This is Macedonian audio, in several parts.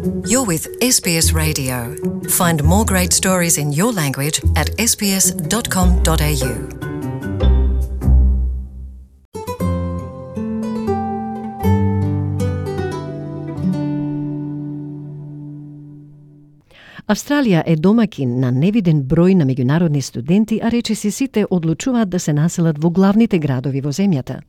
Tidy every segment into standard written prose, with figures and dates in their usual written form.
You're with SBS Radio. Find more great stories in your language at sbs.com.au. Австралија е домакин на невиден број на меѓународни студенти, а речиси сите одлучуваат да се населат во главните градови во земјата.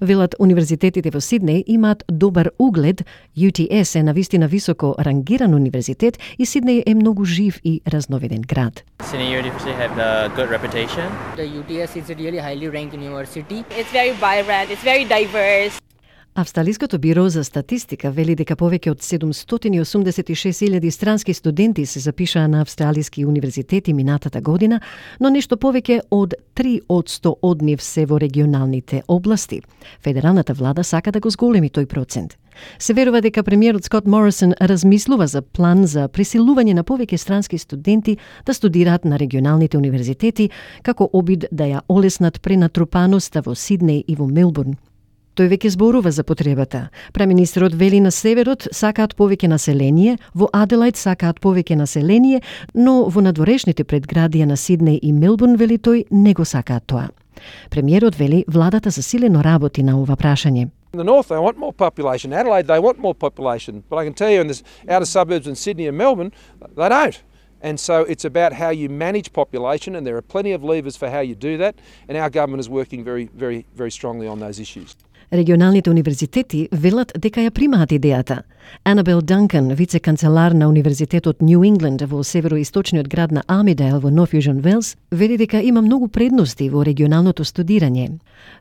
Велат универзитетите во Сиднеј имаат добар углед, UTS е навистина високо рангиран универзитет и Сиднеј е многу жив и разновиден град. Sydney University have a good reputation. The UTS is a really highly ranked university. It's very vibrant, it's very diverse. Австралиското биро за статистика вели дека повеќе од 786.000 странски студенти се запишаа на австралиски универзитети минатата година, но нешто повеќе од 3% од нив се во регионалните области. Федералната влада сака да го зголеми тој процент. Се верува дека премиерот Скот Морисон размислува за план за присилување на повеќе странски студенти да студираат на регионалните универзитети, како обид да ја олеснат пренатрупаноста во Сиднеј и во Мелбурн. Тој веќе зборува за потребата. Премиерот вели на северот сакаат повеќе население, во Аделајд сакаат повеќе население, но во надворешните предградија на Сиднеј и Мелбурн, вели тој, не го сакаат тоа. Премиерот вели владата засилено работи на ова прашање. In the north, they want more population. Adelaide, they want more population. But I can tell you in the outer suburbs in Sydney and Melbourne, they don't. And so it's about how you manage population, and there are plenty of levers for how you do that. And our government is working very, very, very strongly on those issues. Регионалните универзитети велат дека ја примаат идејата. Анабел Данкан, вице-канцелар на Универзитетот Нью Ингланд во североисточниот град на Амидейл во Нов Јужен Велс, вели дека има многу предности во регионалното студирање.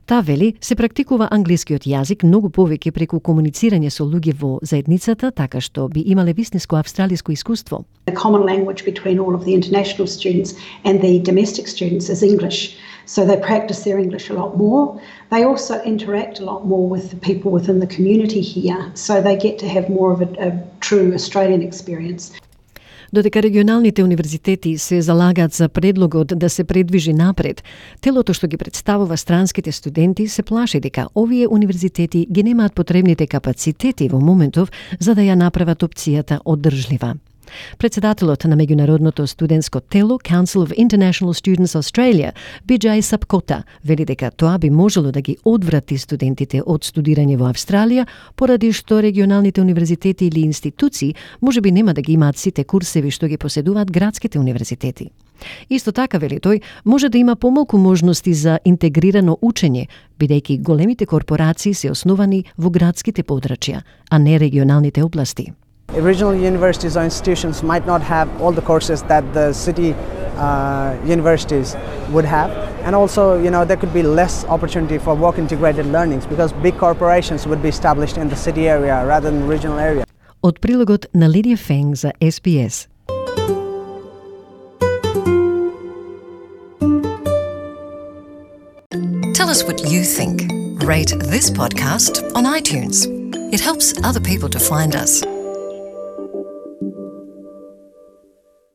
Таа вели се практикува англискиот јазик многу повеќе преку комуницирање со луѓе во заедницата, така што би имале вистинско австралиско искуство. The common language between all of the international students and the domestic students is English. So they practice their English a lot more. They also interact a lot more with the people within the community here, so they get to have more of a true Australian experience. Додека регионалните универзитети се залагаат за предлогот да се предвижи напред, телото што ги представува странските студенти се плаши дека овие универзитети ги немаат потребните капацитети во моментов за да ја направат опцијата одржлива. Председателот на меѓународното студентско тело Council of International Students Australia, Bijay Sapkota, вели дека тоа би можело да ги одврати студентите од студирање во Австралија, поради што регионалните универзитети или институции можеби нема да ги имаат сите курсеви што ги поседуваат градските универзитети. Исто така, вели тој, може да има помалку можности за интегрирано учење, бидејќи големите корпорации се основани во градските подрачја, а не регионалните области. Regional universities or institutions might not have all the courses that the city universities would have, and also, there could be less opportunity for work integrated learnings because big corporations would be established in the city area rather than the regional area. Од прилогот на Лидија Фенг за SBS. Tell us what you think. Rate this podcast on iTunes. It helps other people to find us.